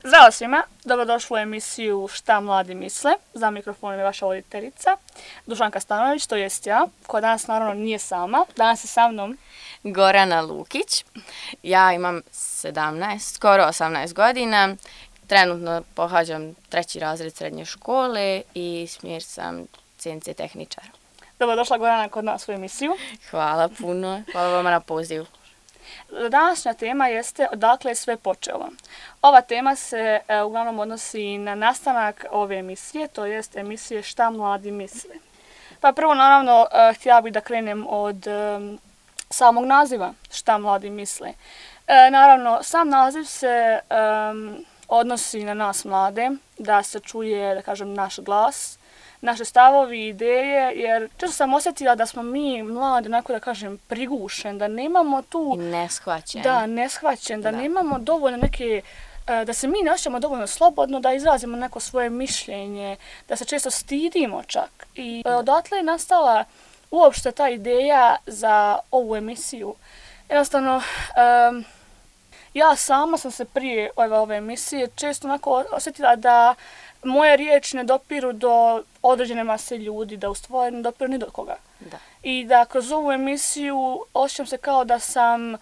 Zdravo svima, dobrodošli u emisiju Šta mladi misle. Za mikrofonom je vaša voditeljica, Dušanka Stanović, to jest ja, koja danas naravno nije sama. Danas je sa mnom Gorana Lukić. Ja imam 17, skoro 18 godina. Trenutno pohađam 3. razred srednje škole i smjer sam CNC tehničar. Dobrodošla Gorana kod nas u emisiju. Hvala puno, hvala vama na pozivu. Današnja tema jeste odakle je sve počelo. Ova tema se uglavnom odnosi na nastanak ove emisije, to jest emisije Šta mladi misle. Pa prvo naravno htjela bih da krenem od samog naziva Šta mladi misle. Naravno, sam naziv se odnosi na nas mlade, da se čuje, da kažem, naš glas, naše stavovi, ideje, jer često sam osjetila da smo mi mladi, onako da kažem, prigušen, da nemamo tu... I neshvaćen. Da, neshvaćen, da nemamo dovoljno neke... Da se mi ne osjećamo dovoljno slobodno, da izrazimo neko svoje mišljenje, da se često stidimo čak. I odatle je nastala uopšte ta ideja za ovu emisiju. Jednostavno, ja sama sam se prije ove emisije često onako osjetila da moje riječi ne dopiru do određene mase ljudi, da u stvari ne dopiru ni do koga. Da. I da kroz ovu emisiju osjećam se kao da sam...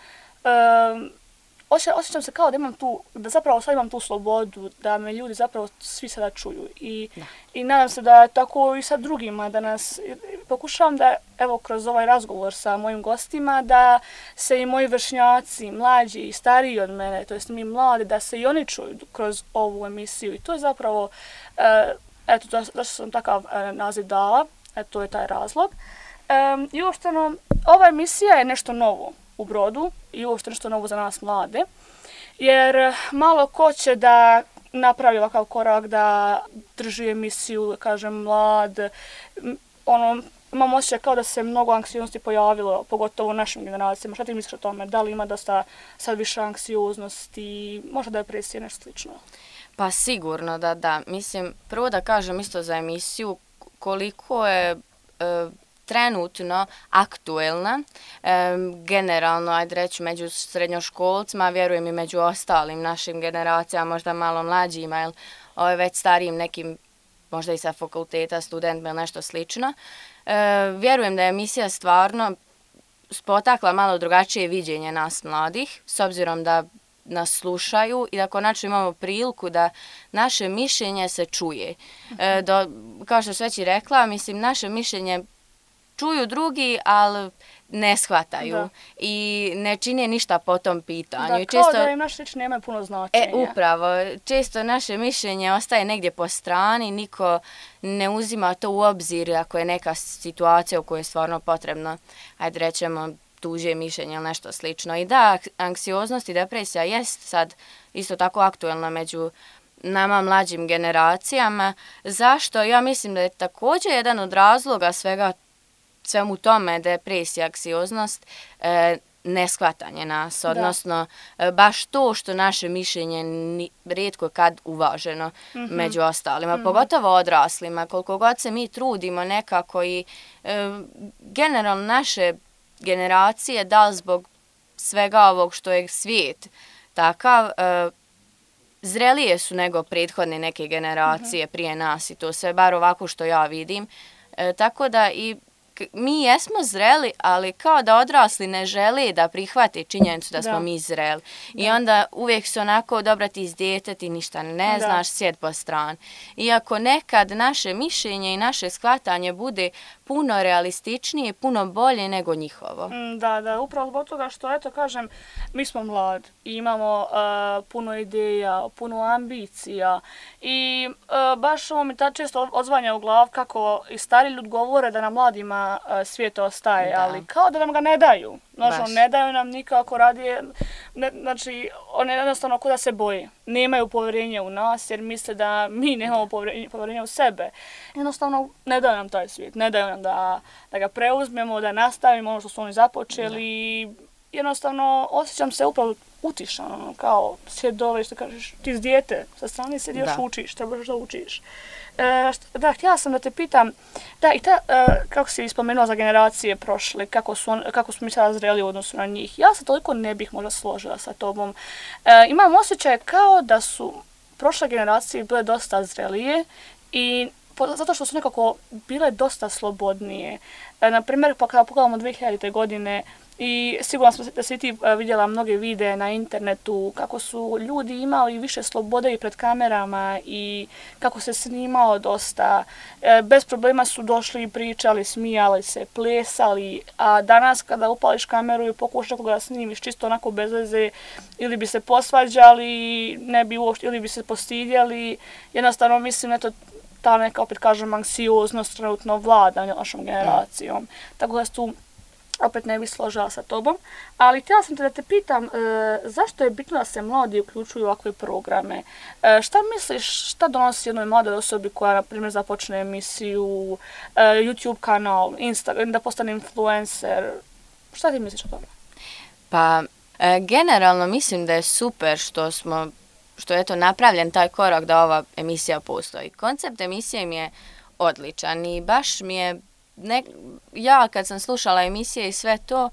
Osjećam se kao da imam tu, da zapravo sad imam tu slobodu, da me ljudi zapravo svi sada čuju. I nadam se da je tako i sa drugima, da nas pokušavam da, evo, kroz ovaj razgovor sa mojim gostima, da se i moji vršnjaci, mlađi i stariji od mene, to jest mi mladi, da se i oni čuju kroz ovu emisiju. I to je zapravo, eto, zašto sam takav naziv dala, eto, to je taj razlog. I uopšteno, ova emisija je nešto novo u Brodu i uopšte nešto novo za nas mlade, jer malo ko će da napravi ovakav korak, da drži emisiju, kažem, mlad, imam osjećaj kao da se mnogo anksioznosti pojavilo, pogotovo u našim generacijama. Šta ti misliš o tome? Da li ima dosta sad više anksioznosti, možda depresije, nešto slično? Pa sigurno da. Mislim, prvo da kažem isto za emisiju koliko je trenutno aktuelna, generalno, ajde reći, među srednjoškolcima, vjerujem i među ostalim našim generacijama, možda malo mlađima ili već starijim nekim, možda i sa fakulteta, studentima ili nešto slično. Vjerujem da je emisija stvarno potakla malo drugačije viđenje nas mladih, s obzirom da nas slušaju i da konačno imamo priliku da naše mišljenje se čuje. Kao što sam već i rekla, mislim, naše mišljenje čuju drugi, ali ne shvataju i ne čine ništa po tom pitanju. Da, kao da im naše riječi nemaju puno značenja. Upravo. Često naše mišljenje ostaje negdje po strani, niko ne uzima to u obzir ako je neka situacija u kojoj je stvarno potrebno, ajde rećemo, tuđe mišljenje ili nešto slično. I da, anksioznost i depresija jest sad isto tako aktuelna među nama mlađim generacijama. Zašto? Ja mislim da je također jedan od razloga svemu tome, depresija, anksioznost, neshvatanje nas, odnosno baš to što naše mišljenje rijetko kad uvaženo među ostalima, pogotovo odraslima, koliko god se mi trudimo nekako i generalno naše generacije, da li zbog svega ovog što je svijet takav, zrelije su nego prethodne neke generacije prije nas i to sve, bar ovako što ja vidim. Tako da i mi jesmo zreli, ali kao da odrasli ne žele da prihvate činjenicu da smo mi zreli. I onda uvijek su onako, dobra ti iz dijete, ti ništa ne znaš, sjed po strani. Iako nekad naše mišljenje i naše shvatanje bude puno realističnije i puno bolje nego njihovo. Da, upravo zbog toga što, eto, kažem, mi smo mladi i imamo puno ideja, puno ambicija i baš ovo mi ta često odzvanja u glav kako i stari ljudi govore da nam mladima svijet ostaje, ali kao da nam ga ne daju. Znači, ne daju nam nikako radije, znači, one jednostavno kao da se boje. Nemaju povjerenja u nas jer misle da mi nemamo povjerenja u sebe. Jednostavno ne daju nam taj svijet, ne daju nam da ga preuzmemo, da nastavimo ono što su oni započeli. Jednostavno osjećam se upravo utišano, kao sjed dole, što kažeš, ti iz dijete, sa strane sjedi još učiš, trebaš da učiš. Da, htjela sam da te pitam, da, i ta, kako si spomenula za generacije prošle, kako smo mi sada zreli u odnosu na njih, ja se toliko ne bih možda složila sa tobom. Imam osjećaj kao da su prošle generacije bile dosta zrelije i zato što su nekako bile dosta slobodnije. Na primjer, pa kada pogledamo 2000. godine, i sigurno sam da si ti vidjela mnoge videe na internetu kako su ljudi imali više slobode i pred kamerama i kako se snimao dosta. Bez problema su došli, pričali, smijali se, plesali, a danas kada upališ kameru i pokušaš nekoga da snimiš čisto onako bez veze, ili bi se posvađali, ne bi uopšte, ili bi se postidjeli. Jednostavno mislim, eto, ta neka, opet kažem, anksioznost trenutno vlada našom generacijom. Tako da tu opet ne bi složila sa tobom, ali htjela sam te da te pitam zašto je bitno da se mladi uključuju u ovakve programe? Šta misliš, šta donosi jednoj mladoj osobi koja, na primjer, započne emisiju, YouTube kanal, Instagram, da postane influencer? Šta ti misliš o tome? Pa, generalno mislim da je super što je napravljen taj korak da ova emisija postoji. Koncept emisije mi je odličan i baš mi je ja kad sam slušala emisije i sve to,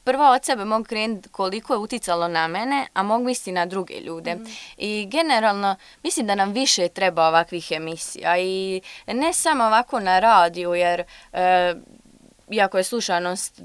prvo od sebe mogu krenuti koliko je uticalo na mene, a mogu misliti na druge ljude. I generalno mislim da nam više treba ovakvih emisija i ne samo ovako na radiju, jer iako je slušanost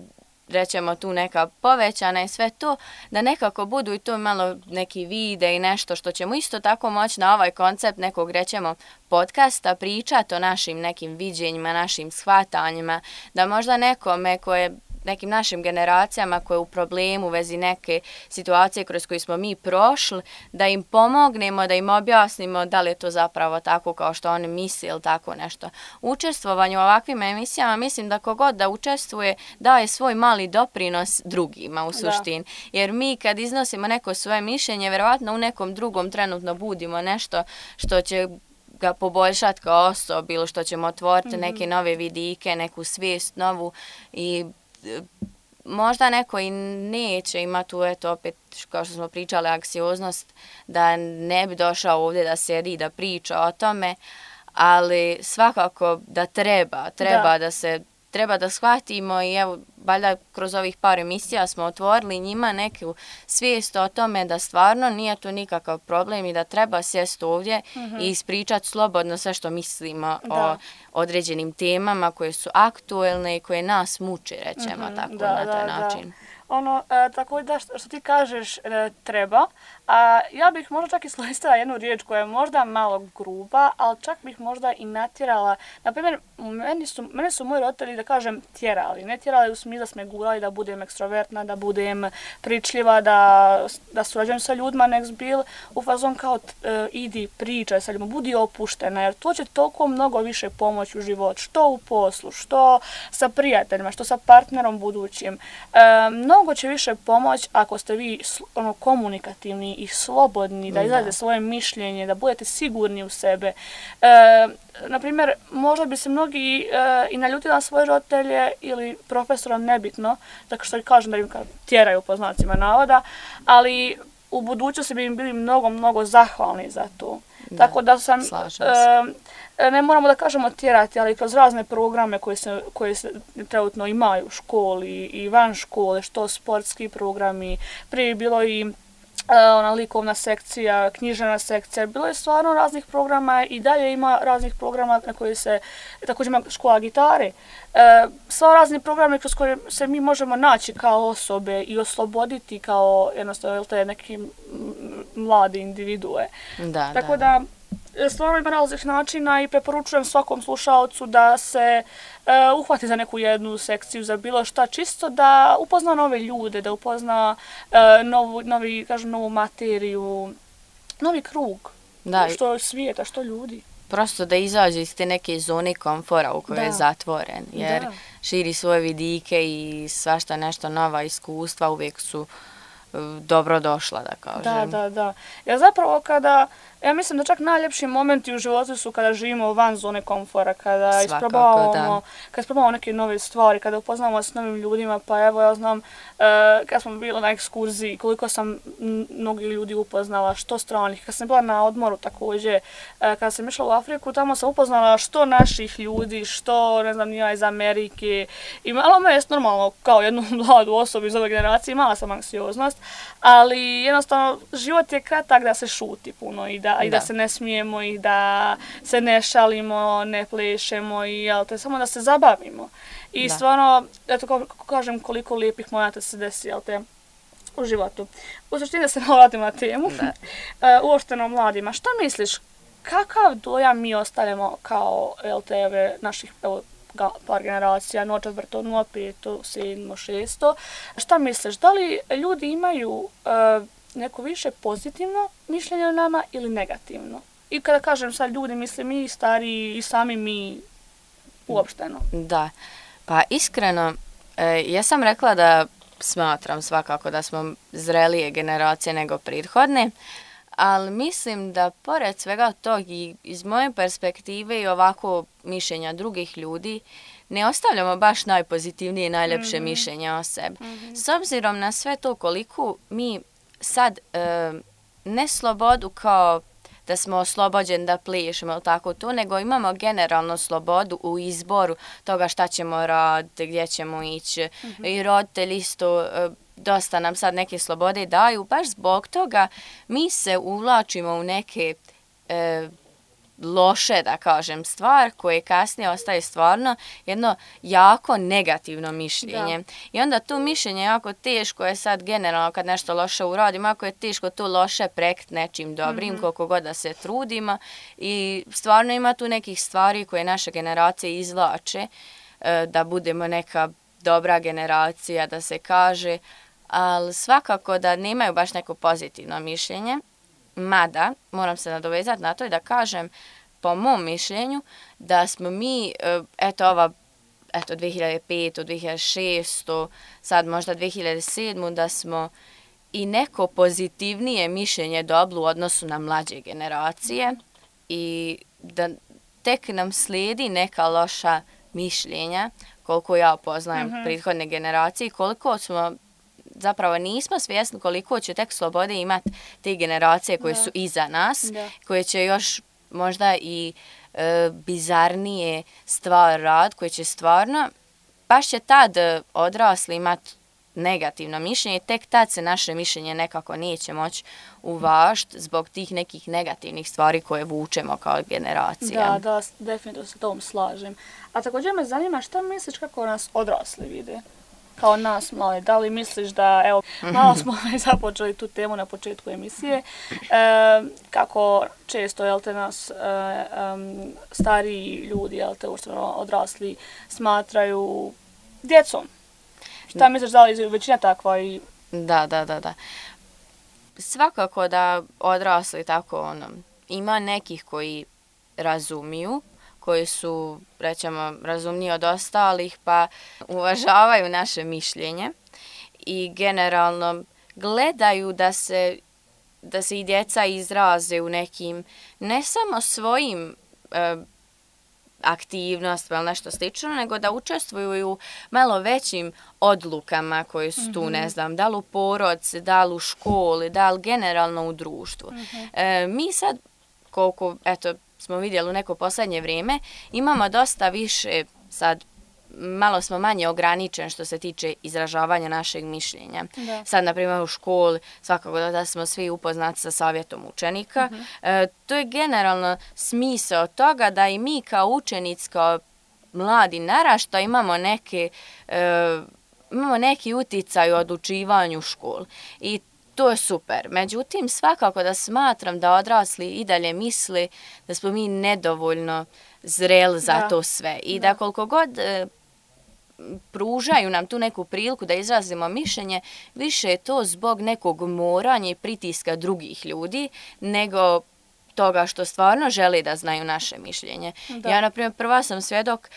rećemo tu neka povećana i sve to, da nekako budu i to malo neki vide i nešto što ćemo isto tako moći na ovaj koncept nekog rećemo podcasta pričati o našim nekim viđenjima, našim shvatanjima, da možda nekome koje nekim našim generacijama koje je u problemu u vezi neke situacije kroz koje smo mi prošli, da im pomognemo, da im objasnimo da li je to zapravo tako kao što oni misle ili tako nešto. Učestvovanje u ovakvim emisijama, mislim da kogod da učestvuje daje svoj mali doprinos drugima u suštini. Jer mi kad iznosimo neko svoje mišljenje, vjerovatno u nekom drugom trenutno budimo nešto što će ga poboljšati kao osobu ili što ćemo otvoriti neke nove vidike, neku svijest novu i možda neko i neće ima tu, eto, opet, kao što smo pričali, anksioznost, da ne bi došao ovdje da sedi i da priča o tome, ali svakako da treba da shvatimo i evo, valjda kroz ovih par emisija smo otvorili njima neku svijest o tome da stvarno nije to nikakav problem i da treba sjesti ovdje i ispričati slobodno sve što mislimo o određenim temama koje su aktuelne i koje nas muče, rećemo tako, na taj način. Tako da što ti kažeš treba, a ja bih možda čak iskoristila jednu riječ koja je možda malo gruba, ali čak bih možda i natjerala. Naprimjer, mene su moji roditelji, da kažem, tjerali. Ne tjerali u smislu da smo me gurali da budem ekstrovertna, da budem pričljiva, da surađujem sa ljudima, nek bil u fazon kao idi, pričaj sa ljudima, budi opuštena, jer to će toliko mnogo više pomoći u život, što u poslu, što sa prijateljima, što sa partnerom budućim. Mnogo će više pomoći ako ste vi komunikativni i slobodni, da izradite svoje mišljenje, da budete sigurni u sebe. Naprimjer, možda bi se mnogi i naljutili na svoje roditelje ili profesora, nebitno, tako što kažem da im tjeraju po znacima navoda, ali u budućnosti bi im bili mnogo, mnogo zahvalni za to. Tako da ne moramo da kažemo tjerati, ali kroz razne programe koje se trenutno imaju u školi i van škole, što sportski programi, prije je bilo i likovna sekcija, književna sekcija, bilo je stvarno raznih programa i dalje ima raznih programa na koje se, također ima škola gitare. Sva razni programe kroz koje se mi možemo naći kao osobe i osloboditi kao jednostavno te neke mlade individue. Tako da stvarno ima različnih načina i preporučujem svakom slušaocu da se uhvati za neku jednu sekciju, za bilo šta, čisto da upozna nove ljude, da upozna novu materiju, novi krug, što svijeta, što ljudi. Prosto da izađe iz te neke zone komfora u kojoj je zatvoren, jer širi svoje vidike i svašta nešto nova iskustva uvijek su dobro došla, da kažem. Da. Jer zapravo ja mislim da čak najljepši momenti u životu su kada živimo van zone komfora, kada isprobavamo neke nove stvari, kada upoznamo s novim ljudima, pa evo ja znam kad smo bili na ekskurziji, koliko sam mnogi ljudi upoznala, što stranih, kad sam bila na odmoru također, kada sam išla u Afriku, tamo sam upoznala što naših ljudi, što ne znam nija iz Amerike i malo me je normalno kao jednu mladu osobu iz ove generacije, imala sam anksioznost, ali jednostavno život je kratak da se šuti puno i da i da se ne smijemo i da se ne šalimo, ne plešemo i samo da se zabavimo. I stvarno, eto kako kažem, koliko lijepih momenata se desi, u životu. U suštini da se vratimo na temu, uopšteno mladima. Šta misliš, kakav dojam mi ostavljamo kao LTV naših par generacija, 04, 05, 7, 6? Šta misliš, da li ljudi imaju neko više pozitivno mišljenje o nama ili negativno? I kada kažem sad ljudi, mislim mi stariji i sami mi uopšteno. Da, pa iskreno, ja sam rekla da smatram svakako da smo zrelije generacije nego prethodne, ali mislim da pored svega tog i iz moje perspektive i ovako mišljenja drugih ljudi, ne ostavljamo baš najpozitivnije i najljepše mišljenje o sebi. S obzirom na sve to koliko mi sad ne slobodu kao da smo oslobođeni da plešemo ili tako to, nego imamo generalno slobodu u izboru toga šta ćemo raditi, gdje ćemo ići. I roditelji isto dosta nam sad neke slobode daju. Baš zbog toga mi se uvlačimo u neke loše, da kažem, stvar koje kasnije ostaje stvarno jedno jako negativno mišljenje. Da. I onda to mišljenje jako teško je sad generalno kad nešto loše uradimo, jako je teško to loše prekriti nečim dobrim, koliko god da se trudimo. I stvarno ima tu nekih stvari koje naše generacije izvlače, da budemo neka dobra generacija, da se kaže, ali svakako da nemaju baš neko pozitivno mišljenje. Mada, moram se nadovezati na to i da kažem, po mom mišljenju, da smo mi, 2005, 2006, sad možda 2007, da smo i neko pozitivnije mišljenje dobili u odnosu na mlađe generacije i da tek nam slijedi neka loša mišljenja, koliko ja poznajem prethodne generacije i koliko smo zapravo nismo svjesni koliko će tek slobode imati te generacije koje su iza nas, koje će još možda i bizarnije stvari rad, koje će stvarno, baš će tad odrasli imati negativno mišljenje, tek tad se naše mišljenje nekako neće moći uvažiti zbog tih nekih negativnih stvari koje vučemo kao generacija. Da, definitivno se tom slažem. A također me zanima šta misliš kako nas odrasli vide? Kao nas mali, da li misliš da, evo, malo smo započeli tu temu na početku emisije, kako često, nas stariji ljudi, odrasli, smatraju djecom. Šta misliš, da li većina takva? Da. Svakako da odrasli tako, ima nekih koji razumiju, koji su, rećemo, razumniji od ostalih, pa uvažavaju naše mišljenje i generalno gledaju da se i djeca izraze u nekim, ne samo svojim aktivnostima ili nešto slično, nego da učestvuju u malo većim odlukama koje su tu, ne znam, da li u porodci, da li u školi, da li generalno u društvu. Mi sad, koliko, smo vidjeli u neko posljednje vrijeme, imamo dosta više, sad malo smo manje ograničeni što se tiče izražavanja našeg mišljenja. Da. Sad, na primjer, u školi svakako da smo svi upoznati sa savjetom učenika. To je generalno smisao toga da i mi kao učenici, kao mladi naraštaj imamo neki uticaj u odlučivanju u školi. I to je super. Međutim, svakako da smatram da odrasli i dalje misle da smo mi nedovoljno zreli za to sve. I da koliko god pružaju nam tu neku priliku da izrazimo mišljenje, više je to zbog nekog moranja i pritiska drugih ljudi, nego toga što stvarno žele da znaju naše mišljenje. Da. Ja, na primjer, prva sam svjedok,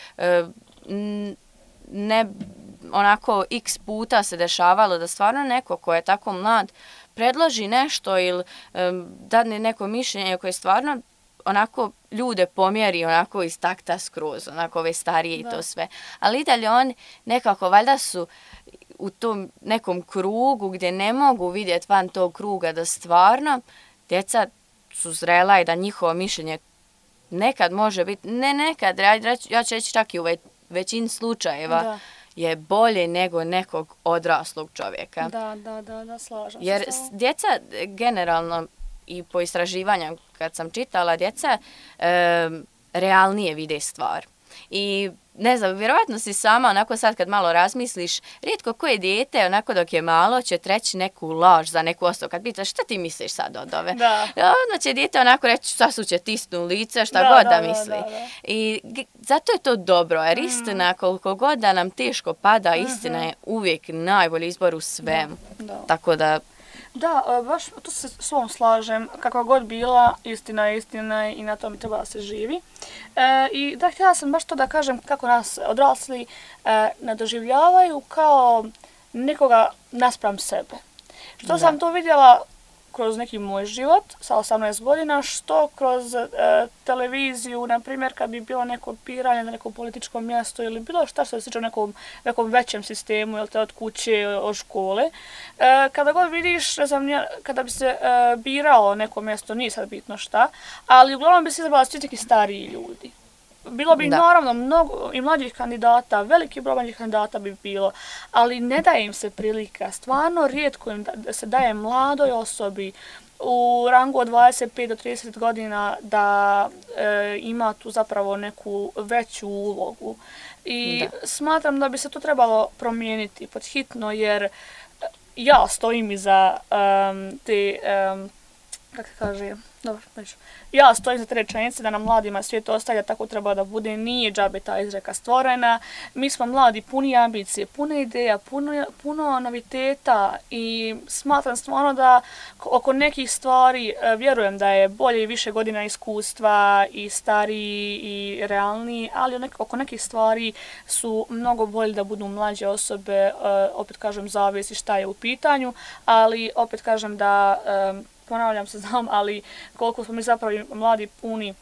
onako x puta se dešavalo da stvarno neko ko je tako mlad predloži nešto ili dadne neko mišljenje koje stvarno onako ljude pomjeri onako iz takta skroz, onako ove starije i to sve. Ali i dalje oni nekako valjda su u tom nekom krugu gdje ne mogu vidjeti van tog kruga da stvarno djeca su zrela i da njihovo mišljenje nekad može biti, ne nekad, ja ću reći čak i u većini slučajeva je bolje nego nekog odraslog čovjeka. Da, slažem se. Jer djeca generalno i po istraživanju kad sam čitala, djeca realnije vide stvar. I ne znam, vjerovatno si sama onako sad kad malo razmisliš, rijetko koje dijete onako dok je malo će treći neku laž za neku osobu. Kad pitaš šta ti misliš sad od ove? Onda će dijete onako reći šta su će tisnu lice, šta god da misli. Da. I zato je to dobro, jer istina koliko god da nam teško pada, istina je uvijek najbolji izbor u svemu. Tako da... Da, baš tu se s ovom slažem, kakva god bila, istina je istina i na to mi treba da se živi. I da, htjela sam baš to da kažem kako nas odrasli ne doživljavaju kao nekoga naspram sebe. Što sam to vidjela kroz neki moj život sa 18 godina, što kroz televiziju, na primjer kad bi bilo neko piranje na nekom političkom mjestu ili bilo šta što se sliče u nekom većem sistemu, jel te od kuće, od škole. Kada god vidiš, ne znam, kada bi se biralo neko mjesto, nije sad bitno šta, ali uglavnom bi se izabrala svi neki stariji ljudi. Bilo bi naravno mnogo i mlađih kandidata, veliki broj mlađih kandidata bi bilo, ali ne daje im se prilika. Stvarno rijetko im se daje mladoj osobi u rangu od 25 do 30 godina da ima tu zapravo neku veću ulogu. I smatram da bi se to trebalo promijeniti pod hitno, jer ja stojim iza te, kako se kaže, dobro, neću. Ja stojim za te rečenice da nam mladima svijet ostavlja, tako treba da bude, nije džabe ta izreka stvorena. Mi smo mladi, puni ambicije, puno ideja, puno noviteta i smatram stvarno da oko nekih stvari vjerujem da je bolje i više godina iskustva i stariji i realniji, ali oko nekih stvari su mnogo bolje da budu mlađe osobe, opet kažem zavisi šta je u pitanju, ali opet kažem da ponavljam se, znam, ali koliko smo mi zapravo mladi puni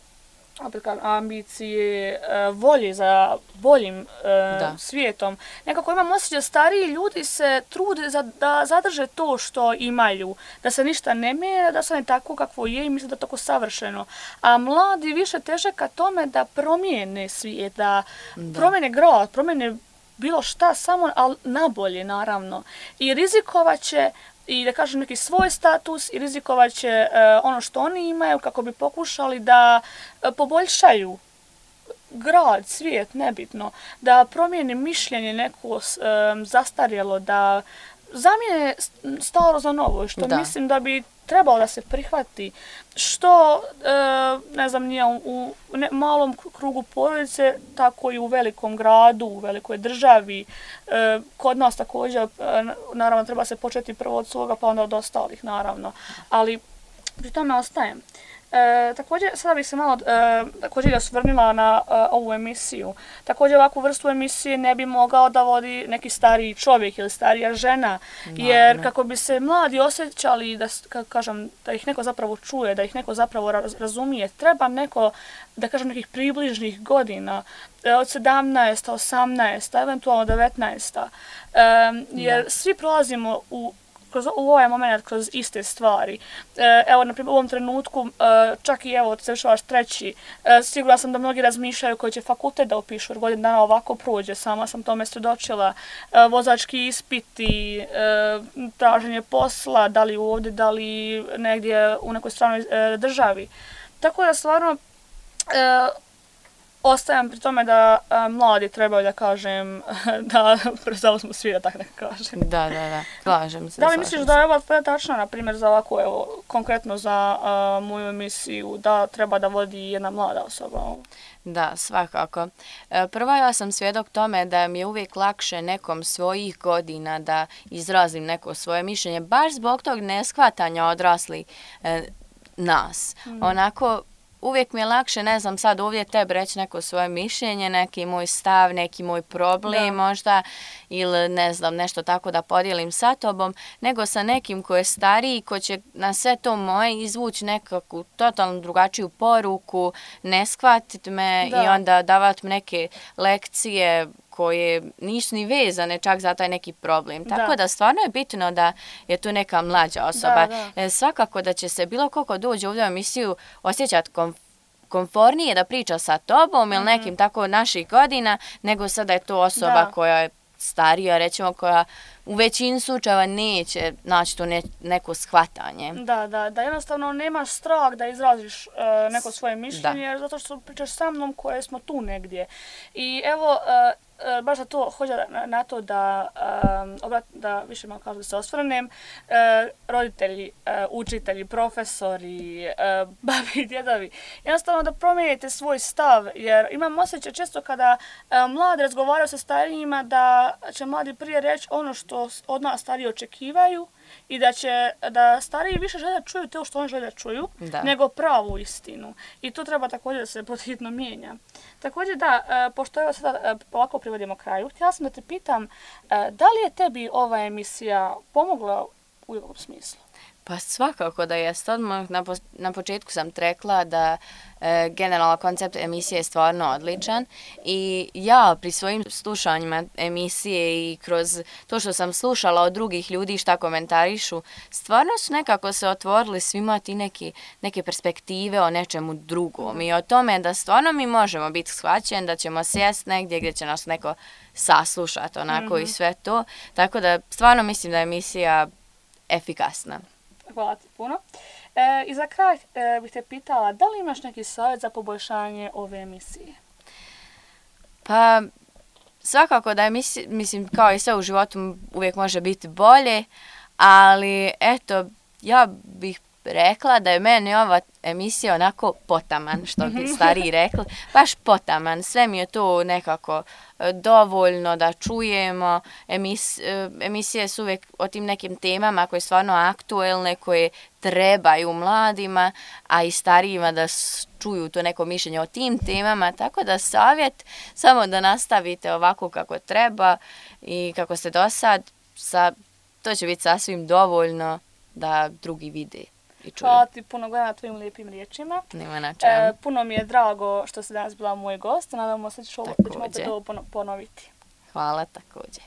opet kažem, ambicije, volje za boljim svijetom. Nekako imam osjećaj da stariji ljudi se trude da zadrže to što imaju, da se ništa ne mijenja, da se ne tako kakvo je i misle da je tako savršeno. A mladi više teže ka tome da promijene svijet, da promijene grad, promijene bilo šta, samo ali nabolje naravno. I rizikovat će i da kažem neki svoj status i rizikovat će ono što oni imaju kako bi pokušali da poboljšaju grad, svijet, nebitno, da promijene mišljenje neko zastarjelo, da zamijene staro za novo, što mislim da bi trebalo da se prihvati, što, ne znam, nije u malom krugu porodice, tako i u velikom gradu, u velikoj državi. Kod nas također, naravno, treba se početi prvo od svoga, pa onda od ostalih, naravno. Ali pri tome ostajem. Također, sada bih se malo također osvrnila na ovu emisiju. Također, ovakvu vrstu emisije ne bi mogao da vodi neki stariji čovjek ili starija žena, jer kako bi se mladi osjećali da ih neko zapravo čuje, da ih neko zapravo razumije, treba neko, da kažem, nekih približnih godina, od 17, 18, eventualno 19. Jer svi prolazimo u ovaj moment kroz iste stvari. Evo, na primjer, u ovom trenutku, čak i evo, završavaš treći, sigurna sam da mnogi razmišljaju koji će fakultet da upišu, jer godinu dana ovako prođe, sama sam tome svjedočila, vozački ispiti, traženje posla, da li ovdje, da li negdje u nekoj stranoj državi. Tako da stvarno ostajem pri tome da mladi trebaju, da kažem, da prezauzmu svi, da tako neka kažem. Da, slažem se. Da li misliš da je ova tačna, na primjer, za ovako, evo, konkretno za moju emisiju, da treba da vodi jedna mlada osoba? Da, svakako. Prvo, ja sam svjedok tome da mi je uvijek lakše nekom svojih godina da izrazim neko svoje mišljenje, baš zbog tog neshvatanja odrasli nas. Onako, uvijek mi je lakše, ne znam, sad ovdje tebi reći neko svoje mišljenje, neki moj stav, neki moj problem možda, ili ne znam, nešto tako da podijelim sa tobom, nego sa nekim ko je stariji, ko će na sve to moje izvući nekakvu totalno drugačiju poruku, ne shvatiti me i onda davati neke lekcije koje nisu ni vezane čak za taj neki problem. Tako da stvarno je bitno da je tu neka mlađa osoba. Svakako da će se bilo koliko dođe ovdje u emisiju osjećati komfornije da priča sa tobom ili nekim tako naših godina, nego sada je to osoba koja je starija, recimo, koja u većini slučajeva neće naći to neko shvatanje. Da, jednostavno nemaš strah da izraziš neko svoje mišljenje, jer zato što pričaš sa mnom koje smo tu negdje. I evo, baš za to hođa na to da više malo kažu da se osvrnem, roditelji, učitelji, profesori, babi i djedovi, jednostavno da promijenite svoj stav, jer imam osjećaj često kada mladi razgovaraju sa starijima da će mladi prije reći ono što od nas stariji očekivaju i da stariji više žele da čuju to što oni žele da čuju, nego pravu istinu. I to treba također da se podhitno mijenja. Također pošto evo sada polako privodimo kraju, htjela sam da te pitam, da li je tebi ova emisija pomogla u ovom smislu? Pa svakako da jest. Odmah na početku sam rekla da generalno koncept emisije je stvarno odličan i ja pri svojim slušanjima emisije i kroz to što sam slušala od drugih ljudi šta komentarišu, stvarno su nekako se otvorili svima ti neke perspektive o nečemu drugom i o tome da stvarno mi možemo biti shvaćeni, da ćemo sjesti negdje gdje će nas neko saslušati onako i sve to. Tako da stvarno mislim da je emisija efikasna. Hvala ti puno. I za kraj bih te pitala, da li imaš neki savjet za poboljšanje ove emisije? Pa, svakako da je, mislim, kao i sve u životu uvijek može biti bolje, ali eto, ja bih rekla da je meni ova emisija onako potaman, što bi stariji rekli, baš potaman. Sve mi je to nekako dovoljno da čujemo. Emisije su uvijek o tim nekim temama koje su stvarno aktuelne, koje trebaju mladima, a i starijima da čuju to neko mišljenje o tim temama. Tako da savjet samo da nastavite ovako kako treba i kako ste do sad, to će biti sasvim dovoljno da drugi vide. Hvala ti puno, Gojana, na tvojim lijepim riječima. Nema na čemu. Puno mi je drago što si danas bila moj gost. Nadamo se da ćemo opet ovo ponoviti. Hvala također.